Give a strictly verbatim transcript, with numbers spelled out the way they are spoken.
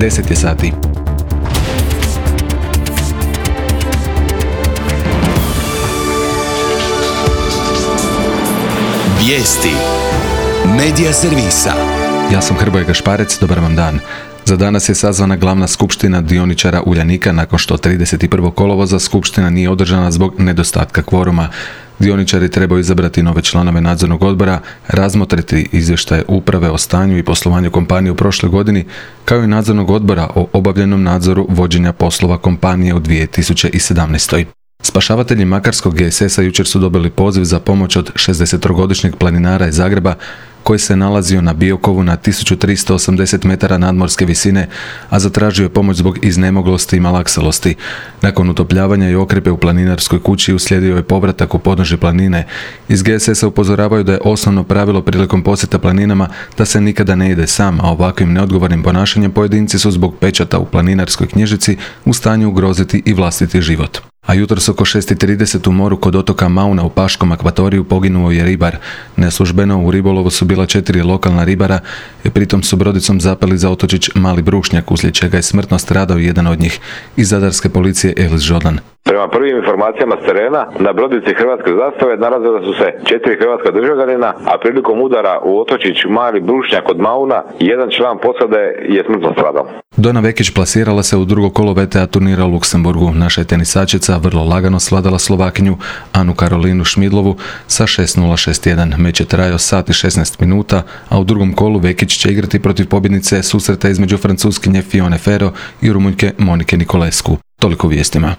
deset je sati. Vijesti Medija servisa. Ja sam Hrvoje Gašparec, dobar vam dan. Za danas je sazvana glavna skupština dioničara Uljanika nakon što trideset prvog kolovoza skupština nije održana zbog nedostatka kvoruma. Dioničari trebaju izabrati nove članove nadzornog odbora, razmotriti izvještaje uprave o stanju i poslovanju kompanije u prošloj godini, kao i nadzornog odbora o obavljenom nadzoru vođenja poslova kompanije u dvije tisuće sedamnaestoj. Spašavatelji Makarskog G S S-a jučer su dobili poziv za pomoć od šezdesettrogodišnjeg planinara iz Zagreba koji se nalazio na Biokovu na tisuću tristo osamdeset metara nadmorske visine, a zatražio je pomoć zbog iznemoglosti i malaksalosti. Nakon utopljavanja i okrepe u planinarskoj kući uslijedio je povratak u podnožje planine. Iz G S S-a upozoravaju da je osnovno pravilo prilikom posjeta planinama da se nikada ne ide sam, a ovakvim neodgovornim ponašanjem pojedinci su zbog pečata u planinarskoj knjižici u stanju ugroziti i vlastiti život. A jutros oko šest i trideset u moru kod otoka Mauna u Paškom akvatoriju poginuo je ribar. Neslužbeno u ribolovu su bila četiri lokalna ribara i pritom su brodicom zapeli za otočić Mali Brušnjak, uslijed čega je smrtno stradao jedan od njih. Iz zadarske policije Elis Žodan. Prema prvim informacijama s terena, na brodici hrvatske zastave nalazila su se četiri hrvatska državljanina, a prilikom udara u otočić Mali Brušnjak kod Mauna, jedan član posade je smrtno stradao. Dona Vekić plasirala se u drugo kolo V T A turnira u Luksemburgu. Naša je tenisačica vrlo lagano svladala Slovakinju Anu Karolinu Šmidlovu sa šest nula šest jedan. Meč je trajao sat i šesnaest minuta, a u drugom kolu Vekić će igrati protiv pobjednice susreta između Francuskinje Fione Ferro i Rumunjke Monike Nikolescu. Toliko u vijestima.